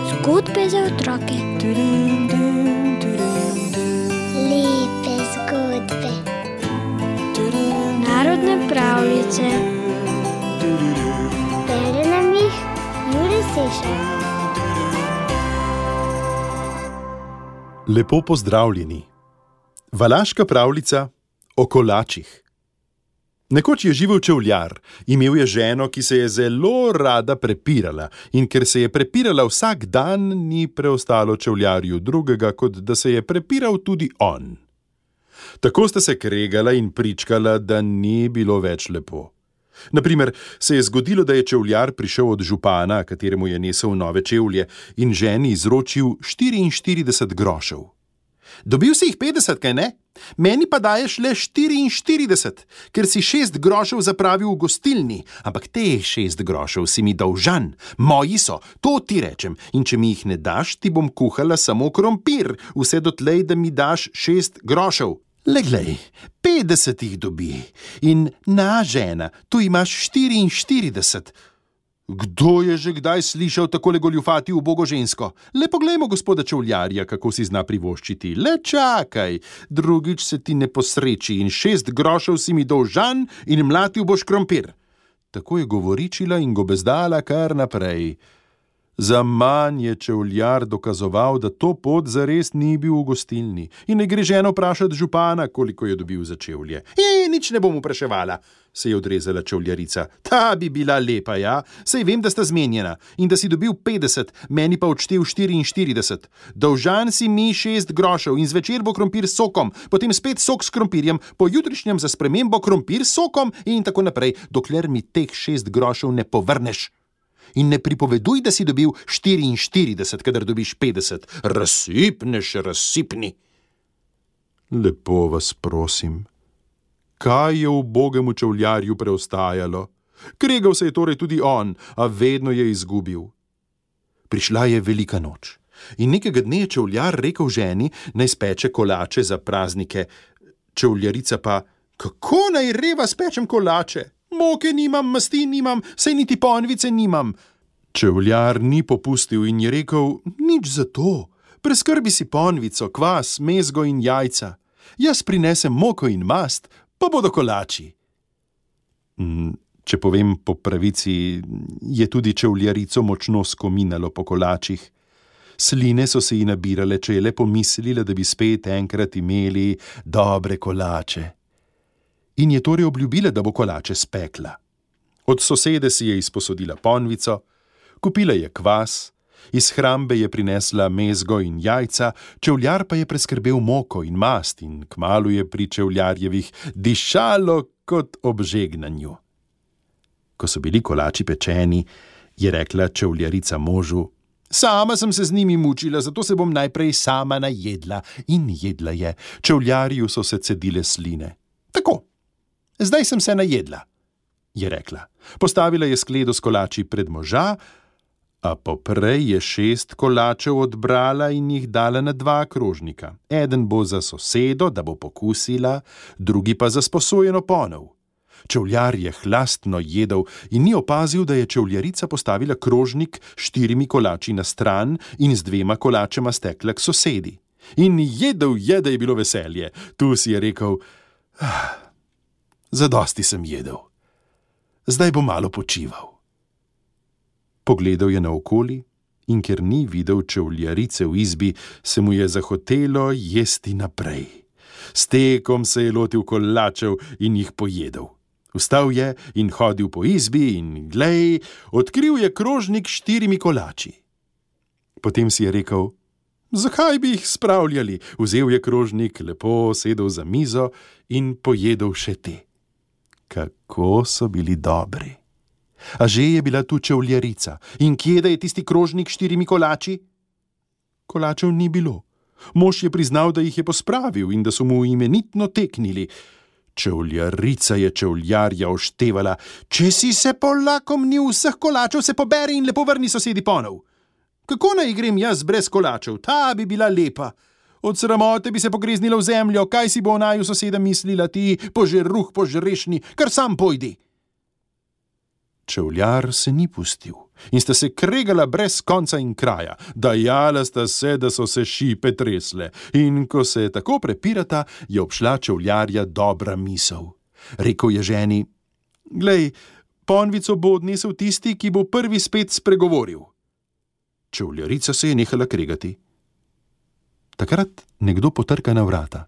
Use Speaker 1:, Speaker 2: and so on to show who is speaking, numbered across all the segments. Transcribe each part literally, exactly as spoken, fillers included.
Speaker 1: Zgodbe za otroke.
Speaker 2: Lepe zgodbe.
Speaker 1: Narodne pravljice.
Speaker 2: Bere nam jih Jure Sešar.
Speaker 3: Lepo pozdravljeni. Valaška pravljica o kolačih. Nekoč je živel čevljar, imel je ženo, ki se je zelo rada prepirala, in ker se je prepirala vsak dan, ni preostalo čevljarju drugega, kot da se je prepiral tudi on. Tako sta se kregala in pričkala, da ni bilo več lepo. Naprimer, se je zgodilo, da je čevljar prišel od župana, kateremu je nesel nove čevlje, in ženi izročil štiriinštirideset grošev. Dobil si jih petdeset, kaj ne? Meni pa daješ le štiriinštirideset, ker si šest grošev zapravil v gostilni, ampak teh šest grošev si mi dolžan. Moji so, to ti rečem, in če mi jih ne daš, ti bom kuhala samo krompir, vse dotlej, da mi daš šest grošev. Le glej, petdeset jih dobi in na žena, tu imaš štiriinštirideset. Kdo je že kdaj slišal takole goljufati ubogo žensko? Le poglejmo gospoda čevljarja, kako si zna privoščiti. Le čakaj, drugič se ti ne posreči in šest grošev si mi dolžan in mlatil boš krompir. Tako je govoričila in gobezdala kar naprej. Zaman je čevljar dokazoval, da to pot zares ni bil v gostilni in ne gre ženo vprašati župana, koliko je dobil za čevlje. E, nič ne bom vpraševala, se je odrezala čevljarica. Ta bi bila lepa, ja, saj vem, da sta zmenjena in da si dobil petdeset, meni pa odštel štiriinštirideset. Dolžan si mi šest grošev in zvečer bo krompir s sokom, potem spet sok s krompirjem, po jutrišnjem za spremembo krompir s sokom in tako naprej, dokler mi teh šest grošev ne povrneš. In ne pripoveduj, da si dobil štiriinštirideset, kadar dobiš petdeset. Razsipneš, razsipni. Lepo vas prosim, kaj je ubogemu čevljarju preostajalo? Kregal se je torej tudi on, a vedno je izgubil. Prišla je velika noč in nekega dne je čevljar rekel ženi, naj speče kolače za praznike. Čevljarica pa, kako naj reva spečem kolače? Moke nimam, masti nimam, saj niti ponvice nimam. Čevljar ni popustil in je rekel, nič za to. Preskrbi si ponvico, kvas, mezgo in jajca. Jaz prinesem moko in mast, pa bodo kolači. Če povem po pravici, je tudi čevljarico močno skominalo po kolačih. Sline so se ji nabirale, če je le pomislila, da bi spet enkrat imeli dobre kolače. In je torej obljubila, da bo kolače spekla. Od sosede si je izposodila ponvico, kupila je kvas, iz hrambe je prinesla mezgo in jajca, čevljar pa je preskrbel moko in mast in kmalu je pri čevljarjevih dišalo kot ob žegnanju. Ko so bili kolači pečeni, je rekla čevljarica možu, sama sem se z njimi mučila, zato se bom najprej sama najedla. In jedla je, čevljarju so se cedile sline. Tako. Zdaj sem se najedla, je rekla. Postavila je skledo s kolači pred moža, a poprej je šest kolačev odbrala in jih dala na dva krožnika. Eden bo za sosedo, da bo pokusila, drugi pa za sposojeno ponev. Čevljar je hlastno jedel in ni opazil, da je čevljarica postavila krožnik s štirimi kolači na stran in z dvema kolačema stekla k sosedi. In jedel je, da je bilo veselje. Tu si je rekel, ah, zadosti sem jedel. Zdaj bo malo počival. Pogledal je naokoli in ker ni videl čevljarice v izbi, se mu je zahotelo jesti naprej. S tekom se je lotil kolačev in jih pojedel. Vstal je in hodil po izbi in glej, odkril je krožnik s štirimi kolači. Potem si je rekel, zakaj bi jih spravljali? Vzel je krožnik, lepo sedel za mizo in pojedel še te. Kako so bili dobri. A že je bila tu čevljarica. In kje da je tisti krožnik s štirimi kolači? Kolačev ni bilo. Mož je priznal, da jih je pospravil in da so mu imenitno teknili. Čevljarica je čevljarja oštevala. Če si se polakomnil vseh kolačev, se poberi in lepo vrni sosedi ponev. Kako naj grem jaz brez kolačev? Ta bi bila lepa. Od sramote bi se pogreznila v zemljo, kaj si bo naju soseda mislila ti, požeruh požrešni, kar sam pojdi. Čevljar se ni pustil in sta se kregala brez konca in kraja, dajala sta se, da so se šipe tresle, in ko se je tako prepirata, je obšla čevljarja dobra misel. Rekel je ženi: "Glej, ponvico bo odnesel tisti, ki bo prvi spet spregovoril." Čevljarica se je nehala kregati. Takrat nekdo potrka na vrata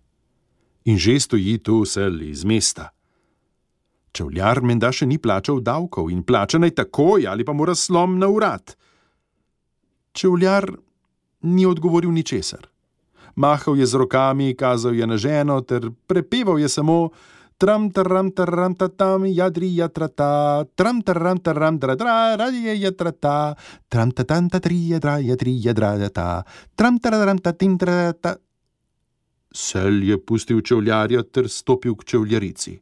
Speaker 3: in že stoji tu sel iz mesta. Čevljar menda še ni plačal davkov in plača naj takoj ali pa mora slom na urad. Čevljar ni odgovoril ničesar. Mahal je z rokami, kazal je na ženo ter prepeval je samo: "Tram taram taram tatam jadri jatrata, tram taram taram dradra radije jatrata, tram tatam tatri jadra jadri jadradata, tram taram tatim trata." Sel je pustil čevljarja ter stopil k čevljarici.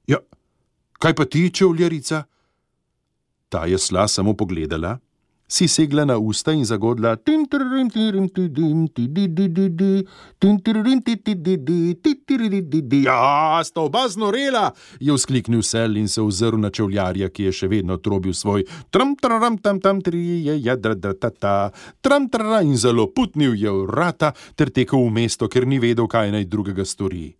Speaker 3: "Ja, kaj pa ti, čevljarica?" Ta je sla samo pogledala, si segla na usta in zagodla: "Ja, sta oba znorela!" je vzkliknil sel in se ozrl na čevljarja, ki je še vedno trobil svoj tram taram tam tam trije jadradata, tram taram, in zelo putnil je vrata ter tekel v mesto, ker ni vedel, kaj naj drugega stori.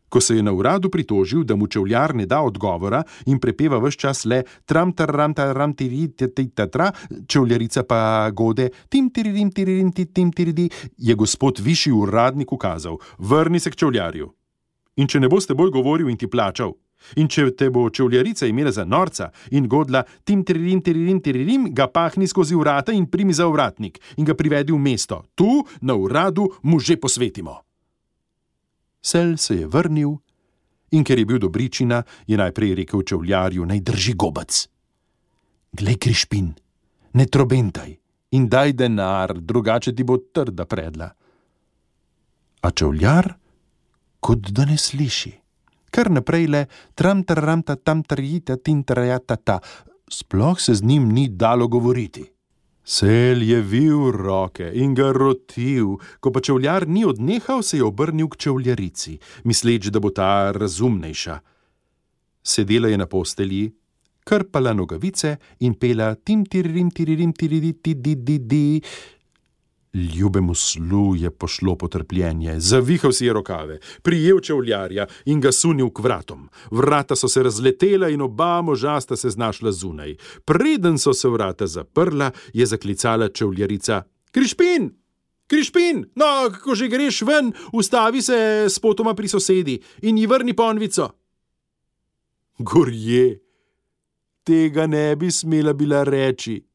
Speaker 3: Ko se je na uradu pritožil, da mu čevljar ne da odgovora in prepeva ves čas le tram taram taram tiri tatra, čevljarica pa gode tim tiririm tiririm tim tiridi, je gospod višji uradnik ukazal: "Vrni se k čevljarju. In če ne boste bolj govoril in ti plačal, in če te bo čevljarica imela za norca in godla tim tiririm tiririm tiririm, ga pahni skozi vrata in primi za ovratnik in ga privedi v mesto. Tu, na uradu, mu že posvetimo." Sel se je vrnil in ker je bil dobričina, je najprej rekel čevljarju, naj drži gobec. "Glej, Krišpin, ne trobentaj in daj denar, drugače ti bo trda predla." A čevljar kot da ne sliši. Kar naprej le tram taram tam trjita tin trajatata, sploh se z njim ni dalo govoriti. Sel je vil roke in ga rotil, ko pa čevljar ni odnehal, se je obrnil k čevljarici, misleč, da bo ta razumnejša. Sedela je na postelji, krpala nogavice in pela tim tiririm tiririm tiridi tididi. Ljubemu slu je pošlo potrpljenje, zavihal si je rokave, prijel čevljarja in ga sunil k vratom. Vrata so se razletela in oba moža sta se znašla zunaj. Preden so se vrata zaprla, je zaklicala čevljarica: "Krišpin! Krišpin! No, ko že greš ven, ustavi se spotoma pri sosedi in ji vrni ponvico." Gorje! Tega ne bi smela bila reči.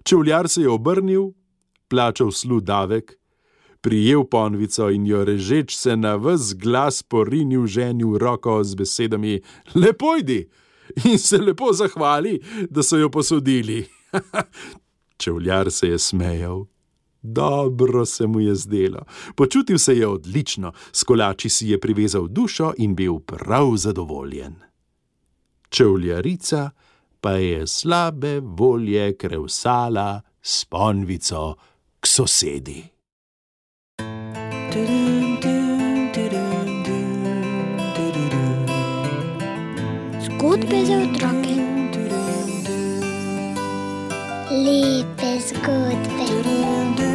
Speaker 3: Čevljar se je obrnil, plačal slu davek, prijel ponvico in jo režeč se na ves glas porinil ženi v roko z besedami: "Lepo idi!" in se lepo zahvali, da so jo posodili. Čevljar se je smejal. Dobro se mu je zdelo. Počutil se je odlično, s kolači si je privezal dušo in bil prav zadovoljen. Čevljarica pa je slabe volje krevsala s ponvico k sosedi.
Speaker 1: Zgodbe za otroke.
Speaker 2: Lepe zgodbe.